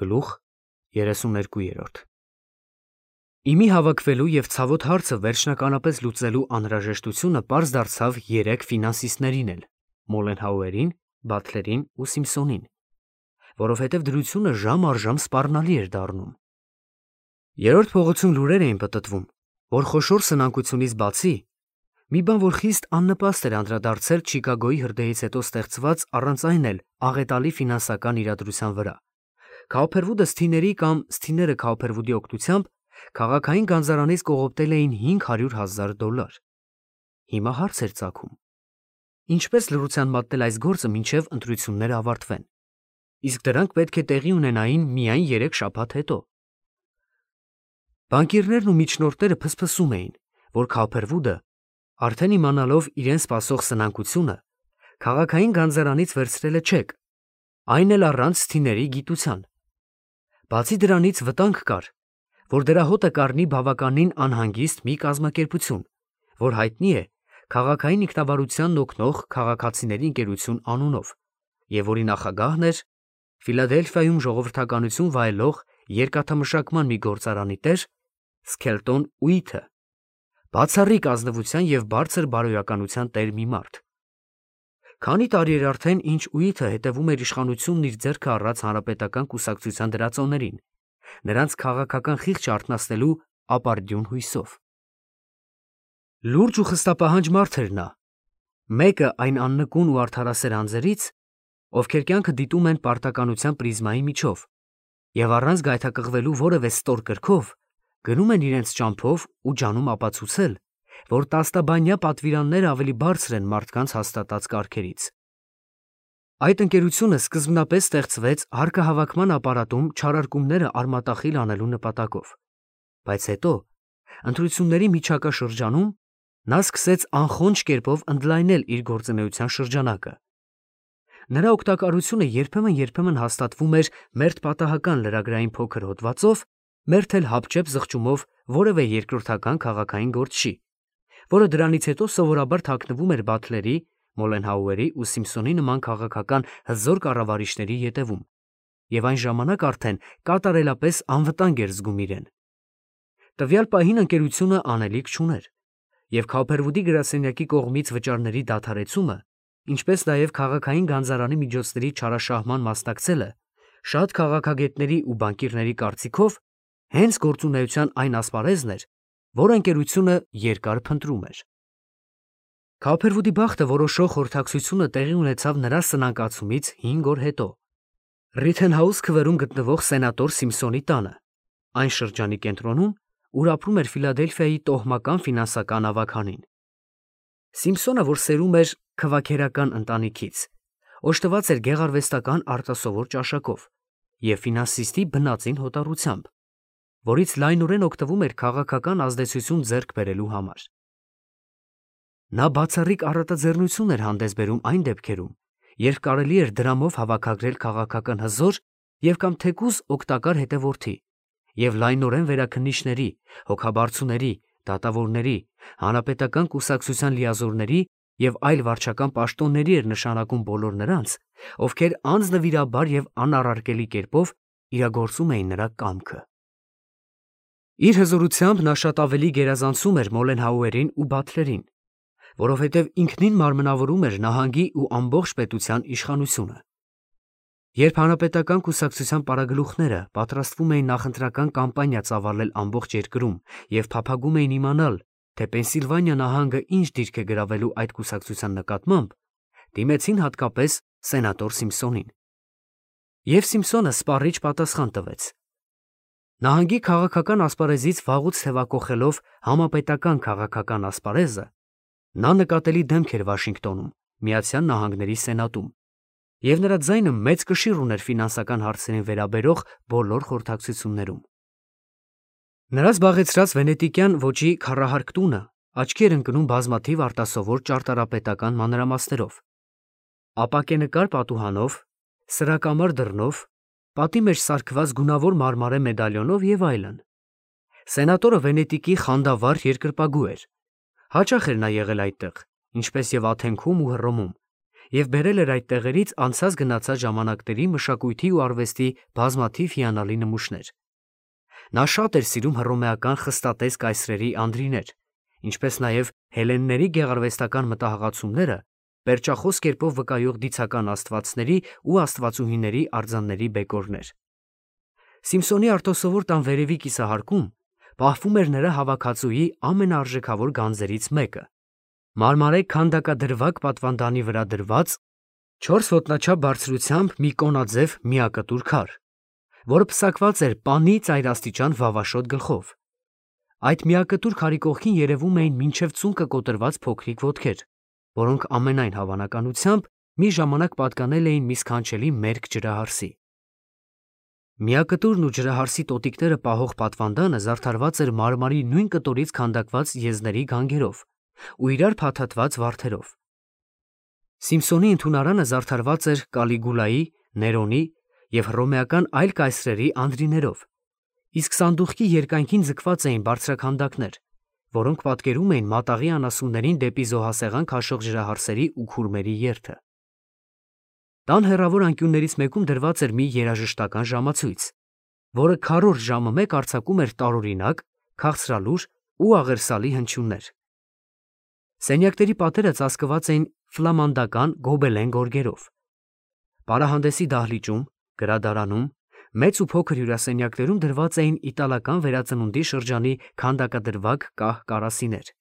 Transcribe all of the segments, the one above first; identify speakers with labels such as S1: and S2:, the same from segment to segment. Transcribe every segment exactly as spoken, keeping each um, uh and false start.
S1: Գլուխ երեսուներկու։ Իմի հավաքվելու և ցավոտ հարցը վերջնականապես լուծելու անհրաժեշտությունը պարզ դարձավ երեք ֆինանսիստներին էլ՝ Մոլենհաուերին, Բաթլերին ու Սիմփսոնին, որովհետև դրությունը ժամ առ ժամ սպառնալի էր դառնում։ Երրորդ փողոցում լուրեր էին պտտվում, որ խոշոր սնանկությունից բացի, մի բան, որ խիստ աննպաստ էր անդրադարձել Չիկագոյի հրդեհից հետո ստեղծված առանց այն էլ աղետալի ֆինանսական իրադրության վրա, Քաուփերվուդը Սթիների կամ Սթիները Քաուփերվուդի օգնությամբ քաղաքային գանձարանից կողոպտել էին հինգ հարյուր հազար դոլար։ Հիմա հարց էր ծագում. ինչպես լռության մատնել այս գործը մինչև ընտրությունները ավարտվեն, իսկ դրանք պետք է տեղի ունենային միայն երեք շաբաթ հետո։ Բանկիրներն ու միջնորդները փսփսում էին, որ Քաուփերվուդը, արդեն իմանալով իրեն սպասող սնանկությունը, քաղաքային գանձարանից վերցրել է չեկ, այն էլ առանց Սթիների գիտության։ Բացի դրանից վտանգ կար, որ դրա հոտը կառնի բավականին անհանգիստ մի կազմակերպություն, որ հայտնի է քաղաքային ինքնավարությանն օգնող քաղաքացիների ընկերություն անունով, և որի նախագահն էր Ֆիլադելֆիայում ժողովրդականություն վայելող երկաթամշակման մի գործարանի տեր Սքելտոն Ուիթը, բացառիկ ազնվության և բարձր բարոյականության տեր մի մարդ։ Քանի տարի էր արդեն, ինչ Ուիթը հետևում էր իշխանությունն իր ձեռքը առած հանրապետական կուսակցության դրածոներին, նրանց քաղաքական խիղճը արթնացնելու ապարդյուն հույսով։ Լուրջ ու խստապահանջ մարդ էր նա, մեկը այն աննկուն ու արդարասեր անձերից, ովքեր կյանքը դիտում են պարտականության պրիզմայի միջով և առանց գայթակղվելու որևէ ստոր կրքով գնում են իրենց ճամփով ու ջանում ապացուցել, որ տասնաբանյա պատվիրանները ավելի բարձր են մարդկանց հաստատած կարգերից։ Այդ ընկերությունը սկզբնապես ստեղծվեց հարկահավաքման ապարատում չարարկումները արմատախիլ անելու նպատակով, բայց հետո, ընտրությունների միջակա շրջանում, նա սկսեց անխոնջ կերպով ընդլայնել իր գործունեության շրջանակը։ Նրա օգտակարությունը երբեմն-երբեմն հաստատվում էր մերթ պատահական լրագրային փոքր հոդվածով, մերթ էլ հապճեպ զղջումով որևէ երկրորդական քաղաքային գործչի, որը դրանից հետո սովորաբար թաքնվում էր Բաթլերի, Մոլենհաուերի ու Սիմփսոնի նման քաղաքական հզոր կառավարիչների ետևում, և այն ժամանակ արդեն կատարելապես անվտանգ էր զգում իրեն։ Տվյալ պահին ընկերությունը անելիք չուներ, և Քաուփերվուդի գրասենյակի կողմից վճարների դադարեցումը, ինչպես նաև քաղաքային գանձարանի միջոցների չարաշահման մասնակցելը, շատ քաղաքագետների ու բանկիրների կարծիքով հենց գործունեության այն ասպարեզն էր, որ ընկերությունը երկար փնտրում էր։ Քաուփերվուդի բախտը որոշող խորհրդակցությունը տեղի ունեցավ նրա սնանկացումից հինգ օր հետո Ռիթենհաուս քվերում գտնվող սենատոր Սիմփսոնի տանը, այն շրջանի կենտրոնում, ուր ապրում էր Ֆիլադելֆիայի տոհմական ֆինանսական ավագանին։ Սիմփսոնը, որ սերում էր քվաքերական ընտանիքից, օժտված էր գեղարվեստական արտասովոր ճաշակով և ֆինանսիստի բնածին հոտառությամբ, որից լայնորեն օգտվում էր քաղաքական ազդեցություն ձեռք բերելու համար։ Նա բացառիկ առատաձեռնություն էր հանդես բերում այն դեպքերում, երբ կարելի էր դրամով հավաքագրել քաղաքական հզոր և կամ թեկուզ օգտակար հետևորդի և լայնորեն վերաքննիչների, հոգաբարձուների, դատավորների, հանրապետական կուսակցության լիազորների և այլ վարչական պաշտոնների էր նշանակում բոլոր նրանց, ովքեր անձնվիրաբար և անառարկելի կերպով իրագործում էին նրա կամքը։ Իր հզորությամբ նա շատ ավելի գերազանցում էր Մոլենհաուերին ու Բաթլերին, որովհետև ինքնին մարմնավորում էր նահանգի ու ամբողջ պետության իշխանությունը։ Երբ հանրապետական կուսակցության պարագլուխները պատրաստվում էին նախընտրական կամպանիա ծավալել ամբողջ երկրում և փափագում էին իմանալ, թե Պենսիլվանիա նահանգը ինչ դիրք է գրավելու այդ կուսակցության նկատմամբ, դիմեցին հատկապես սենատոր Սիմփսոնին։ Եվ Սիմփսոնը սպառիչ պատասխան տվեց։ Նահանգի քաղաքական ասպարեզից վաղուց թևակոխելով համապետական քաղաքական ասպարեզը, նա նկատելի դեմք էր Վաշինգտոնում, Միացյալ Նահանգների սենատում, և նրա ձայնը մեծ կշիռ ուներ ֆինանսական հարցերին վերաբերող բոլոր խորհրդակցություններում։ Նրա զբաղեցրած վենետիկյան ոճի քառահարկ տունը աչքի էր ընկնում բազմաթիվ արտասովոր ճարտարապետական մանրամասներով, ապակենկար պատուհանով, սրակամար դռնով, պատի մեջ սարքված գունավոր մարմարե մեդալիոնով և այլն։ Սենատորը Վենետիկի խանդավառ երկրպագու էր, հաճախ էր նա եղել այդտեղ, ինչպես և Աթենքում ու Հռոմում, և բերել էր այդ տեղերից անցած գնացած ժամանակների մշակույթի ու արվեստի բազմաթիվ հիանալի նմուշներ։ Նա շատ էր սիրում հռոմեական խստատես կայսրերի անդրիներ, ինչպես նաև հելլենների գեղարվեստական մտահղացումները, պերճախոս կերպով վկայող դիցական աստվածների ու աստվածուհիների արձանների բեկորներ։ Սիմփսոնի արտոսովոր տան վերևի կիսահարկում պահվում էր նրա հավաքածուի ամենաարժեքավոր գանձերից մեկը՝ մարմարե քանդակադրվակ պատվանդանի վրա դրված չորս ոտնաչափ բարձրությամբ մի կոնաձև միակտուր քար, որը պսակված էր պանի ծայրաստիճան վավաշոտ գլխով։ Այդ միակտուր քարի կողքին երևում էին մինչև ծունկը կոտրված փոքրիկ ոտքեր, որոնք ամենայն հավանականությամբ մի ժամանակ պատկանել էին մի սքանչելի մերկ ջրահարսի։ Միակտուրն ու ջրահարսի տոտիկները պահող պատվանդանը զարդարված էր մարմարի նույն կտորից քանդակված եզների գանգերով ու իրար փաթաթված վարդերով։ Սիմփսոնի ընդունարանը զարդարված էր Կալիգուլայի, Ներոնի և հռոմեական այլ կայսրերի անդրիներով, իսկ սանդուղքի երկայնքին ձգված էին բարձրաքանդակներ, որոնք պատկերում էին մատաղի անասուններին դեպի զոհասեղան քաշող ջրահարսերի ու քուրմերի երթը։ Տան հեռավոր անկյուններից մեկում դրված էր մի երաժշտական ժամացույց, որը քառորդ ժամը մեկ արձակում էր տարօրինակ, քաղցրալուր ու աղերսալի հնչյուններ։ Սենյակների պատերը ծածկված էին ֆլամանդական գոբելեն գորգերով։ Պարահանդեսի դահլիճում, գրադարանում, մեծ ու փոքր հյուրասենյակներում դրված էին իտալական վերածնունդի շրջանի քանդակադրվակ կահ կարասիներ։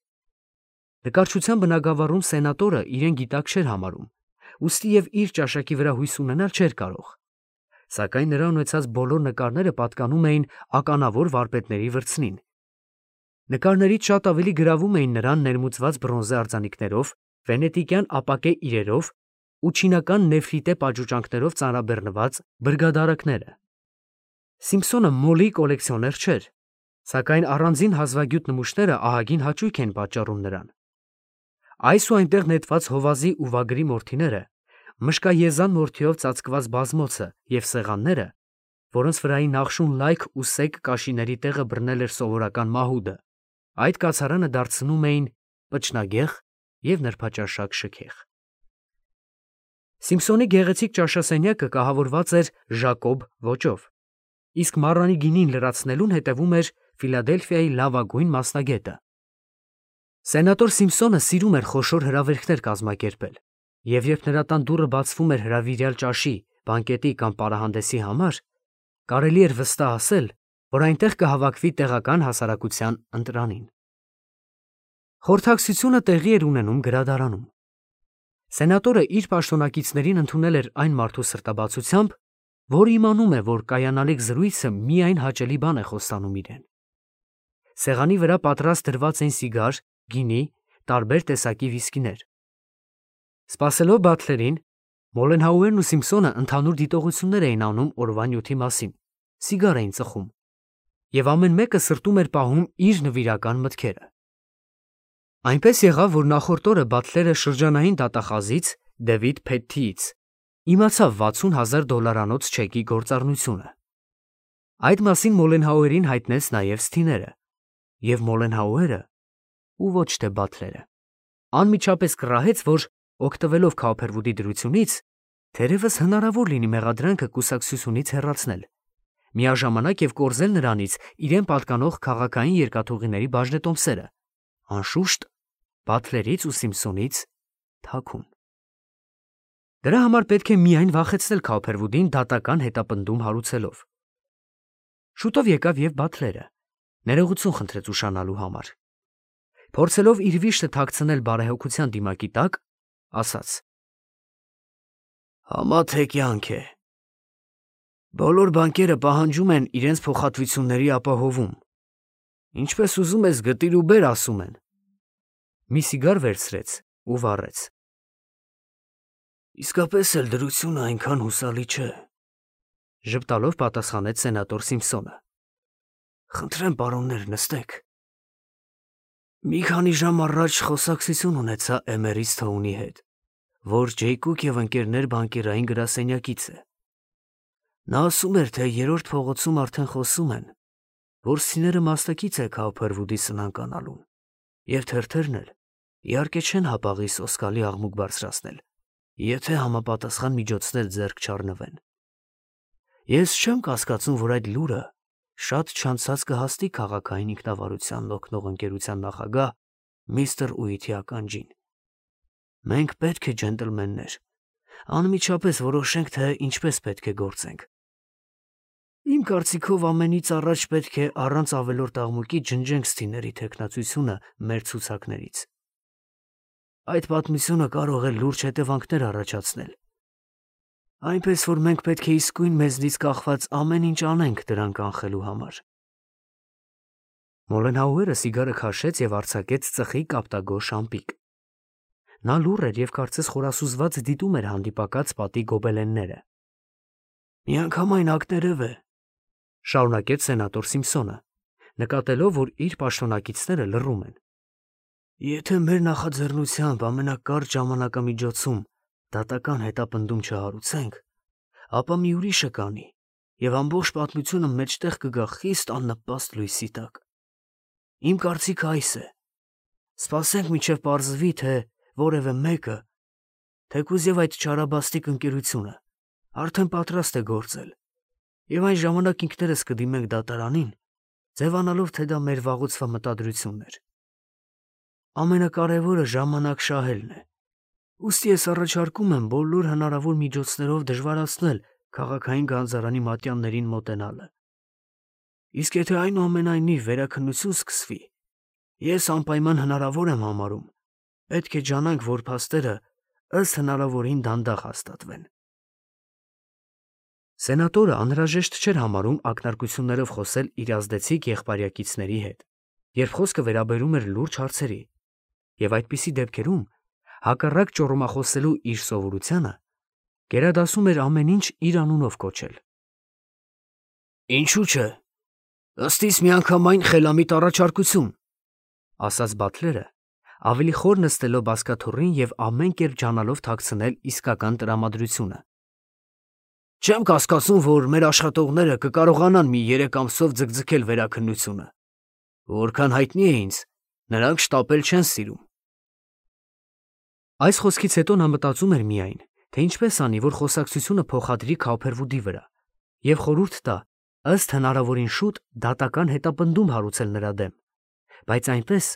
S1: Նկարչության բնագավառում սենատորը իրեն գիտակ չէր համարում, ուստի և իր ճաշակի վրա հույս ունենալ չէր կարող, սակայն նրա ունեցած բոլոր նկարները պատկանում էին ականավոր վարպետների վրձնին։ Նկարներից շատ ավելի գրավում էին նրան ներմուծված բրոնզե արձանիկներով, վենետիկյան ապակե իրերով ու չինական նեֆրիտե պատշուճանքներով ծանրաբեռնված բրգադարակները։ Սիմփսոնը մոլի կոլեկցիոներ չէր, սակայն առանձին հազվագյուտ նմուշները ահագին հաճույք են պատճառում նրան։ Այս ու այնտեղ նետված հովազի ու վագրի մորթիները, մշկաեզան մորթիով ծածկված բազմոցը և սեղանները, որոնց վրայի նախշուն լայք ու սեկ կաշիների տեղը բռնել էր սովորական մահուդը, այդ կացարանը դարձնում էին պչնագեղ և նրբաճաշակ շքեղ։ Սիմփսոնի գեղեցիկ ճաշասենյակը կահավորված էր Ժակոբ ոճով, իսկ մառանի գինին լրացնելուն հետևում էր Ֆիլադելֆիայի լավագույն մասնագետը։ Սենատոր Սիմփսոնը սիրում էր խոշոր հրավերքներ կազմակերպել, և երբ նրա տան դուռը բացվում էր հրավիրյալ ճաշի, բանկետի կամ պարահանդեսի համար, կարելի էր վստահ ասել, որ այնտեղ կհավաքվի տեղական հասարակության ընտրանին։ Խորհրդակցությունը տեղի էր ունենում գրադարանում։ Սենատորը իր պաշտոնակիցներին ընդունել էր այն մարդու սրտաբացությամբ, որը իմանում է, որ կայանալիք զրույցը միայն հաճելի բան է խոստանում իրեն։ Սեղանի վրա պատրաստ դրված էին սիգար, գինի, տարբեր տեսակի վիսկիներ։ Սպասելով Բաթլերին, Մոլենհաուերն ու Սիմփսոնը ընդհանուր դիտողություններ էին անում օրվա նյութի մասին, սիգար էին ծխում, և ամեն մեկը սրտում էր պահում իր նվիրական մտքերը։ Այնպես եղավ, որ նախորդ օրը Բաթլերը շրջանային դատախազից Դեվիդ Փեթթիից իմացավ վաթսուն հազար դոլարանոց չեկի գործառնությունը։ Այդ մասին Մոլենհաուերին հայտնեց նաև Սթիները, և Մոլենհաուերը, ու ոչ թե Բաթլերը, անմիջապես կռահեց, որ, օգտվելով Քաուփերվուդի դրությունից, թերևս հնարավոր լինի մեղադրանքը կուսակցությունից հեռացնել, միաժամանակ և կորզել նրանից իրեն պատկանող քաղաքային երկաթուղիների բաժնետոմսերը, անշուշտ, Բաթլերից ու Սիմփսոնից թաքուն։ Դրա համար պետք է միայն վախեցնել Քաուփերվուդին դատական հետապնդում հարուցելով։ Շուտով եկավ և Բաթլերը, ներողություն խնդրեց ուշանալու համար։ Փորձելով իր վիշտը թաքցնել բարեհոգության դիմակի տակ, ասաց. Համա թե կյանք է։ Բոլոր բանկերը պահանջում են իրենց փոխհատվությունների ապահովում։ Ինչպես ուզում ես գտիր ու բեր, ասում են։ Մի սիգար վերցրեց ու վառեց։ Իսկապես էլ դրությունը այնքան հուսալի չէ, ժպտալով պատասխանեց սենատոր Սիմփսոնը։ Խնդրեմ, պարոններ, նստեք։ Մի քանի ժամ առաջ խոսակցություն ունեցա Էմերից Թոունի հետ, որ Ջեյկուկ և ընկերներ բանկերային գրասենյակից է։ Նա ասում էր, թե երրորդ փողոցում արդեն խոսում են, որ Սիները մասնակից է Քաուփերվուդի սնանկանալուն, և թերթերն էլ իհարկե չեն հապաղի սոսկալի աղմուկ բարձրացնել, եթե համապատասխան միջոցներ ձեռք չառնվեն։ Ես չեմ կասկածում, որ այդ լուրը շատ չանցած կհասնի քաղաքային ինքնավարությանն օգնող ընկերության նախագահ միստր Ուիթի ականջին։ Մենք պետք է, ջենտլմեններ, անմիջապես որոշենք, թե ինչպես պետք է գործենք։ Իմ կարծիքով ամենից առաջ պետք է առանց ավելորդ աղմուկի ջնջենք Սթիների թեկնածությունը մեր ցուցակներից։ Այդ պատմությունը կարող է լուրջ հետևանքներ առաջացնել։ Այնպես որ մենք պետք է իսկույն մեզնից կախված ամեն ինչ անենք դրանք կանխելու համար։ Մոլենհաուերը սիգարը քաշեց եւ արձակեց ծխի կապտագոր շամպիկ։ Նա լուռ էր եւ կարծես խորասուզված դիտում էր հանդիպակաց պատի գոբելենները։ Միանգամայն ակներև է, շարունակեց սենատոր Սիմփսոնը, նկատելով, որ իր պաշտոնակիցները լռում են։ Եթե մեր նախաձեռնությամբ ամենակարճ ժամանակամիջոցում դատական հետապնդում չհարուցենք, ապա մի ուրիշը կանի, եւ ամբողջ պատմությունը մեջտեղ կգա խիստ աննպաստ լույսի տակ։ Իմ կարծիքը այս է. սպասենք մինչև պարզվի, թե որևէ մեկը, թեկուզ եւ այդ չարաբաստիկ ընկերությունը, արդեն պատրաստ է գործել, եւ այն ժամանակ ինքներս կդիմենք դատարանին, ձևանալով, թե դա մեր վաղուցվա մտադրությունն էր։ Ամենակարևորը ժամանակ շահելն է։ Ուստի ես առաջարկում եմ բոլոր հնարավոր միջոցներով դժվարացնել քաղաքային գանձարանի մատյաններին մոտենալը։ Իսկ եթե այնուամենայնիվ վերաքննություն սկսվի, ես անպայման հնարավոր եմ համարում, պետք է ջանանք, որ փաստերը ըստ հնարավորին դանդաղ հաստատվեն։ Սենատորը անհրաժեշտ չէր համարում ակնարկություններով խոսել իր ազդեցիկ եղբայրակիցների հետ, երբ խոսքը վերաբերում էր լուրջ հարցերի, եւ այդպիսի դեպքերում, հակառակ ճոռոմախոսելու իր սովորությանը, գերադասում էր ամեն ինչ իր անունով կոչել։ Ինչու՞ չէ։ Ըստ իս միանգամայն խելամիտ առաջարկություն, ասաց Բաթլերը, ավելի խոր նստելով բազկաթոռին եւ ամեն կերպ ջանալով թաքցնել իսկական տրամադրությունը։ Չեմ կասկածում, որ մեր աշխատողները կկարողանան մի երեք ամսով ձգձգել վերաքննությունը։ Որքան հայտնի է ինձ, նրանք շտապել չեն սիրում։ Այս խոսքից հետո նա մտածում էր միայն, թե ինչպես անի, որ խոսակցությունը փոխադրի Քաուփերվուդի վրա, եւ խորհուրդ տա, ըստ հնարավորին շուտ դատական հետապնդում հարուցել նրա դեմ, բայց այնպես,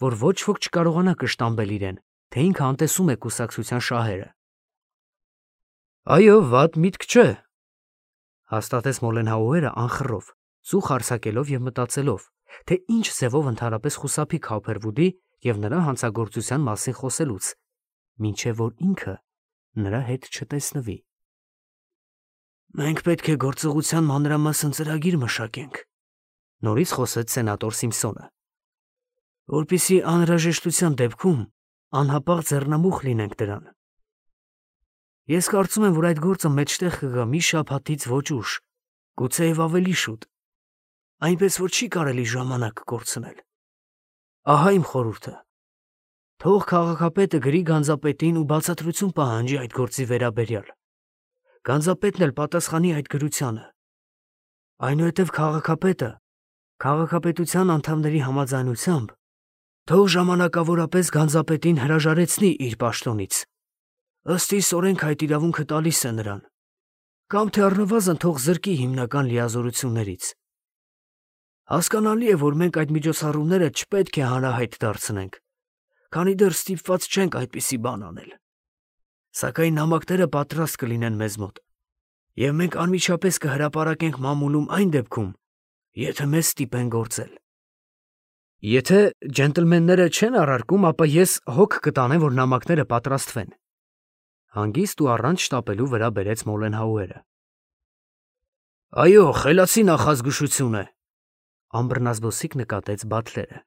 S1: որ ոչ ոք չկարողանա կշտամբել իրեն, թե ինքը անտեսում է կուսակցության շահերը։ Այո, վատ միտք չէ, հաստատեց Մոլենհաուերը անխռով, ծուխ արձակելով եւ մտածելով, թե ինչ ձևով ընդհանրապես խուսափի Քաուփերվուդի եւ նրա հանցագործության մասին խոսելուց, մինչեւ որ ինքը նրա հետ չտեսնվի։ Մենք պետք է գործողության մանրամասն ծրագիր մշակենք, նորից խոսեց սենատոր Սիմփսոնը, որպեսզի անհրաժեշտության դեպքում անհապաղ ձեռնամուխ լինենք դրան։ Ես կարծում եմ, որ այդ գործը մեջտեղ կգա մի շաբաթից ոչ ուշ, գուցեև ավելի շուտ, այնպես որ չի կարելի ժամանակ կորցնել։ Ահա իմ խորհուրդը։ Թող քաղաքապետը գրի գանձապետին ու բացատրություն պահանջի այդ գործի վերաբերյալ։ Գանձապետն էլ պատասխանի այդ գրությանը։ Այնուհետև քաղաքապետը, քաղաքապետության անդամների համաձայնությամբ, թող ժամանակավորապես գանձապետին հրաժարեցնի իր պաշտոնից։ Ըստ իս օրենք այդ իրավունքը տալիս է նրան, կամ թե առնվազն թող զրկի հիմնական լիազորություններից։ Հասկանալի է, որ մենք այդ միջոցառումները չպետք է հանրահայտ դարձնենք, քանի դեռ ստիպված չենք այդպիսի բան անել։ Սակայն նամակները պատրաստ կլինեն մեզ մոտ, եւ մենք անմիջապես կհրապարակենք մամուլում այն դեպքում, եթե մեզ ստիպեն գործել։ Եթե ջենտլմենները չեն առարկում, ապա ես հոգ կտանեմ, որ նամակները պատրաստվեն։ Հանգիստ ու առանց շտապելու վրա բերեց Մոլենհաուերը։ Այո, խելացի նախազգուշություն է, ամբռնազբոսիկ նկատեց Բաթլերը։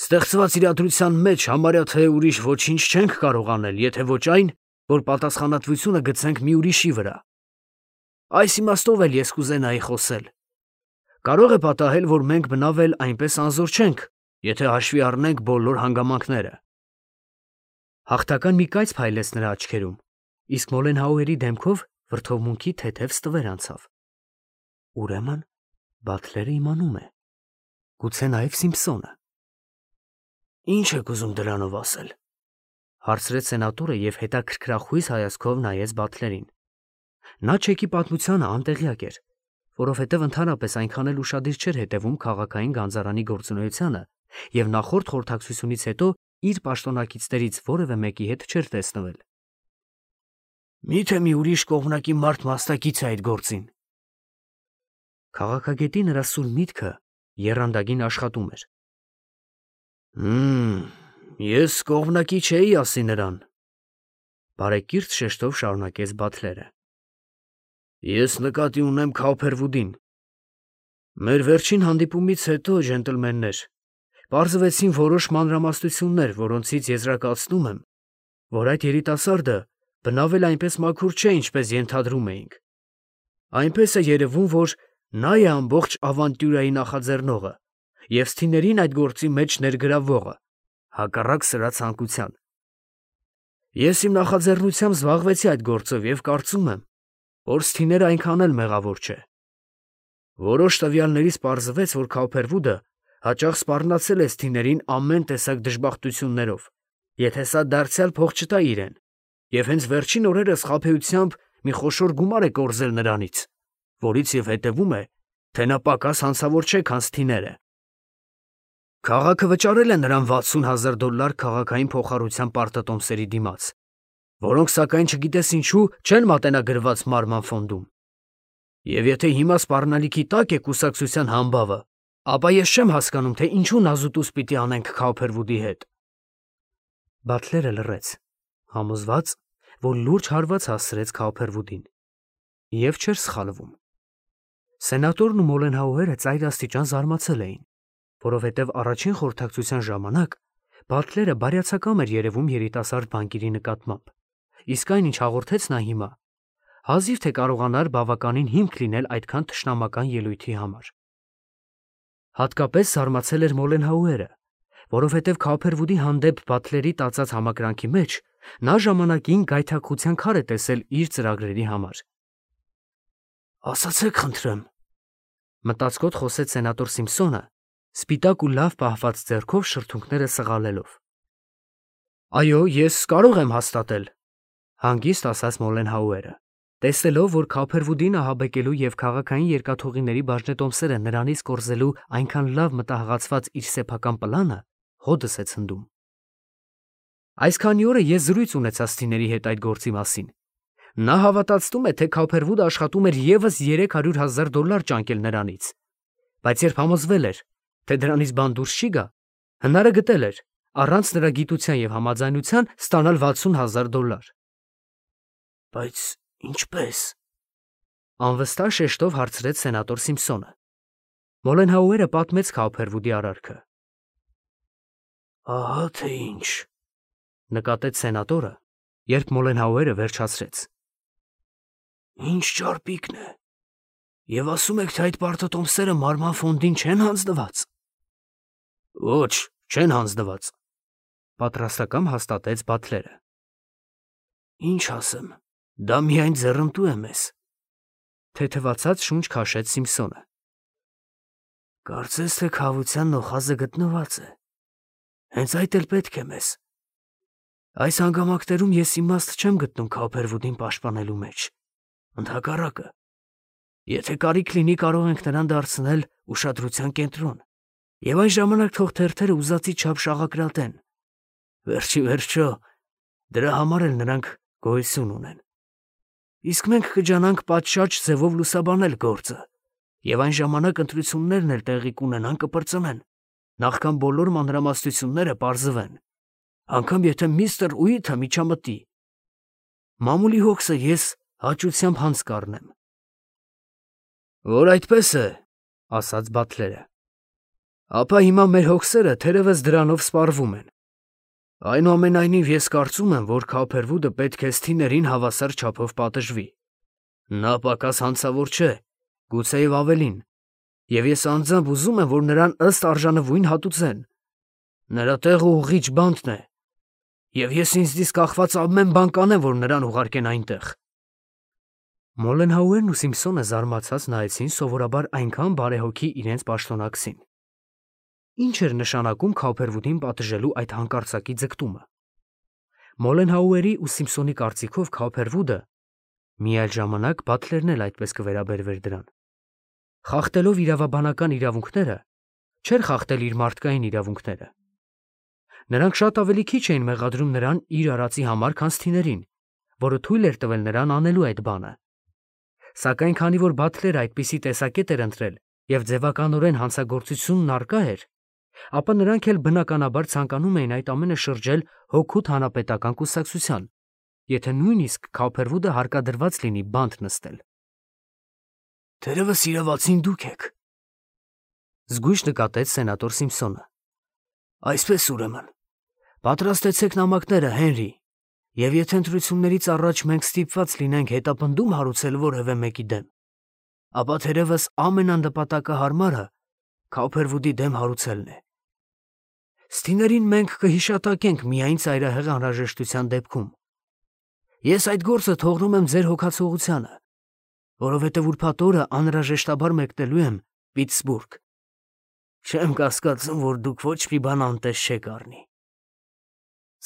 S1: Ստեղծված իրադրության մեջ համարյա թե ուրիշ ոչինչ չենք կարող անել, եթե ոչ այն, որ պատասխանատվությունը գցենք մի ուրիշի վրա։ Այս իմաստով էլ ես կուզենայի խոսել։ Կարող է պատահել, որ մենք բնավ էլ այնպես անզոր չենք, եթե հաշվի առնենք բոլոր հանգամանքները։ Հաղթական մի կայծ փայլեց նրա աչքերում, իսկ Մոլենհաուերի դեմքով վրդովմունքի թեթև ստվեր անցավ։ Ուրեմն Բաթլերը իմանում է, գուցե նաև Սիմփսոնը։ Ինչ եք ուզում դրանով ասել։ Հարցրեց սենատորը և հետաքրքրախույս հայացքով նայեց Բաթլերին։ Նա չեկի պատմությանը անտեղյակ էր, որովհետև ընդհանրապես այնքան էլ ուշադիր չէր հետևում քաղաքային գանձարանի գործունեությանը և նախորդ խորհրդակցությունից հետո իր պաշտոնակիցներից որևէ մեկի հետ չէր տեսնվել։ Մի՞թե մի ուրիշ կողմնակի մարդ մասնակից է այդ գործին։ Քաղաքագետի նրա սուր միտքը եռանդագին աշխատում էր։ Հմ, ես կողմնակի չէի ասի նրան, բարեկիրթ շեշտով շարունակեց Բաթլերը։ Ես նկատի ունեմ Քոփերվուդին։ Մեր վերջին հանդիպումից հետո, ջենտլմեններ, պարզվեցին որոշ մանրամասնություններ, որոնցից եզրակացնում եմ, որ այդ երիտասարդը բնավ էլ այնպես մաքուր չէ, ինչպես ենթադրում էինք։ Այնպես է երևում, որ նա է ամբողջ ավանտյուրայի նախաձեռնողը և սթիներին այդ գործի մեջ ներգրավվողը, հակառակ սրա ցանկության։ Ես իմ նախաձեռնությամբ զբաղվեցի այդ գործով և կարծում եմ, որ սթիները այնքան էլ մեղավոր չէ։ Որոշ տվյալներից պարզվեց, որ Քոփերվուդը հաճախ սպառնացել է սթիներին ամեն տեսակ դժբախտություններով, եթե սա դարձյալ փող չտա իրեն, և հենց վերջին օրերս խաբեությամբ մի խոշոր գումար է կորզել նրանից, որից և հետևում է, թե նա պակաս հանցավոր չէ, քան սթիները։ Քաղաքը վճարել է նրան վաթսուն հազար դոլար քաղաքային փոխառության պարտատոմսերի դիմաց, որոնք սակայն չգիտես ինչու չեն մատենագրված մարման ֆոնդում։ Եվ եթե հիմա սպառնալիքի տակ է կուսակցության համբավը, ապա ես չեմ հասկանում, թե ինչու նազուտուս պիտի անենք Քոփերվուդի հետ։ Բաթլերը լռեց, համոզված, որ լուրջ հարված հասցրեց Քոփերվուդին, և չէր սխալվում։ Սենատորն ու Մոլենհաուերը ծայրաստիճան զարմացել էին, որովհետև առաջին խորհրդակցության ժամանակ Բաթլերը բարյացակամ էր երևում երիտասարդ բանկիրի նկատմամբ, իսկ այն, ինչ հաղորդեց նա հիմա, հազիվ թե կարողանար բավականին հիմք լինել այդքան թշնամական ելույթի համար։ Հատկապես զարմացել էր Մոլենհաուերը, որովհետև Քոփերվուդի հանդեպ Բաթլերի տածած համակրանքի մեջ նա ժամանակին գայթակղության քար է տեսել իր ծրագրերի համար։ Ասացեք խնդրեմ, մտածկոտ խոսեց սենատոր Սիմփսոնը, սպիտակ ու լավ պահված ձեռքով շրթունքները սղալելով։ Այո, ես կարող եմ հաստատել, հանգիստ ասաց Մոլենհաուերը, տեսնելով, որ Քոփերվուդին ահաբեկելու և քաղաքային երկաթուղիների բաժնետոմսերը նրանից կորզելու այնքան լավ մտահղացված իր սեփական պլանը հոդս է ցնդում։ Այս քանի օրը ես զրույց ունեցա սթիների հետ այդ գործի մասին։ Նա հավատացնում է, թե Քոփերվուդը աշխատում էր ևս երեք հարյուր հազար դոլար ճանկել նրանից, բայց երբ համոզվել էր, թե դրանից բան դուրս չի գա, հնարը գտել էր, առանց նրա գիտության և համաձայնության ստանալ վաթսուն հազար դոլար։ Բայց ինչպե՞ս։ Անվստահ շեշտով հարցրեց սենատոր Սիմփսոնը։ Մոլենհաուերը պատմեց Քոփերվուդի արարքը։ Ահա թե ինչ, նկատեց սենատորը, երբ Մոլենհաուերը վերջացրեց։ Ինչ ճարպիկն է։ Եվ ասում եք, թե այդ պարտատոմսերը մարման ֆոնդին չեն հանձնված։ Ոչ, չեն հանձնված, պատրաստակամ հաստատեց Բաթլերը։ Ինչ ասեմ, դա միայն ձեռնտու է մեզ, թեթևացած շունչ քաշեց Սիմփսոնը։ Կարծես թե քավության նոխազը գտնված է։ Հենց այդ էլ պետք է մեզ։ Այս հանգամանքներում ես իմաստ չեմ գտնում Քոփերվուդին պաշտպանելու մեջ։ Ընդհակառակը, եթե կարիք լինի, կարող ենք նրան դարձնել ուշադրության կենտրոն, և այն ժամանակ թող թերթերը ուզածի չափ շաղակրատեն։ Վերջի վերջո, դրա համար էլ նրանք գոյություն ունեն։ Իսկ մենք կջանանք պատշաճ ձևով լուսաբանել գործը, և այն ժամանակ ընտրություններն էլ տեղի կունենան, կպրծնեն, նախքան բոլոր մանրամասնությունները պարզվեն, անգամ եթե միստր Ուիթը միջամտի։ Մամուլի հոգսը ես հաճությամբ հանց կառնեմ։ Որ այդպես է, ասաց Բաթլերը, ապա հիմա մեր հոգսերը թերևս դրանով սպառվում են։ Այնուամենայնիվ ես կարծում եմ, որ Քոփերվուդը պետք է սթիներին հավասար չափով պատժվի։ Նա պակաս հանցավոր չէ, գուցեև ավելին, և ես անձամբ ուզում եմ, որ նրան ըստ արժանվույն հատուցեն։ Նրա տեղը ուղղիչ բանտն է, և ես ինձնից կախված ամեն բան կանեմ, որ նրան ուղարկեն այնտեղ։ Մոլենհաուերն ու Սիմփսոնը զարմացած նայեցին սովորաբար այնքան բարեհոգի իրենց պաշտոնակցին։ Ինչ էր նշանակում Քոփերվուդին պատժելու այդ հանկարծակի ձգտումը։ Մոլենհաուերի ու Սիմփսոնի կարծիքով Քոփերվուդը մի այլ ժամանակ Բաթլերն էլ այդպես կվերաբերվեր դրան։ Խախտելով իրավաբանական իրավունքները, չէր խախտել իր մարդկային իրավունքները։ Նրանք շատ ավելի քիչ էին մեղադրում նրան իր արածի համար, քան Սթիներին, որը թույլ էր տվել նրան անելու այդ բանը։ Սակայն քանի որ Բաթլերը այդպիսի տեսակետ էր ընտրել եւ ձևականորեն հանցագործությունն առկա էր, ապա նրանք էլ բնականաբար ցանկանում էին այդ ամենը շրջել հօգուտ հանրապետական կուսակցության, եթե նույնիսկ Քոփերվուդը հարկադրված լինի բանտ նստել։ Թերևս իրավացին դուք եք, զգույշ նկատեց սենատոր Սիմփսոնը։ Այսպես ուրեմն, պատրաստեցեք նամակները, Հենրի, եւ եթե ընտրություններից առաջ մենք ստիպված լինենք հետապնդում հարուցել որևէ մեկի դեմ, ապա թերևս ամենանպատակահարմարը Քոփերվուդի դեմ հարուցելն է։ Սթիներին մենք կհիշատակենք միայն ծայրահեղ անհրաժեշտության դեպքում։ Ես այդ գործը թողնում եմ ձեր հոգացողությանը, որովհետև ուրբաթ օրը անհրաժեշտաբար մեկնելու եմ Պիտսբուրգ։ Չեմ կասկածում, որ դուք ոչ մի բան անտես չեք առնի։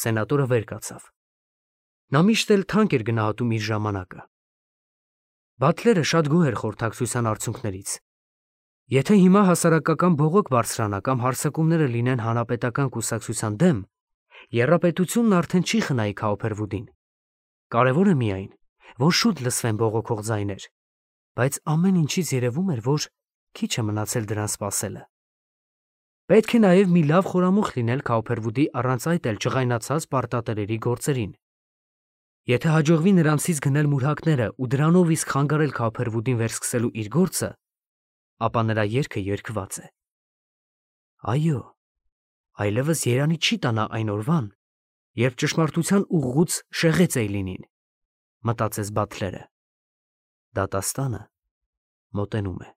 S1: Սենատորը վեր կացավ։ Նա միշտ էլ թանկ էր գնահատում իր ժամանակը։ Բաթլերը շատ գոհ էր խորհրդակցության արդյունքներից։ Եթե հիմա հասարակական բողոք բարձրանա կամ հարձակումները լինեն հանրապետական կուսակցության դեմ, եռապետությունն արդեն չի խնայի Քոփերվուդին։ Կարևորը միայն, որ շուտ լսվեն բողոքող ձայներ, բայց ամեն ինչից երևում էր, որ քիչ է մնացել դրան սպասելը։ Պետք է նաև մի լավ խորամուխ լինել Քոփերվուդի առանց այդ էլ ջղայնացած պարտատերերի գործերին։ Եթե հաջողվի նրանցից գնել մուրհակները ու դրանով իսկ խանգարել Քոփերվուդին վերսկսելու իր գործը, ապա նրա երգը երգված է։ Այո, այլևս երանի չի տանա այն օրվան, երբ ճշմարտության ուղղուց շեղեց Էյլինին, մտածեց Բաթլերը։ Դատաստանը մոտենում է։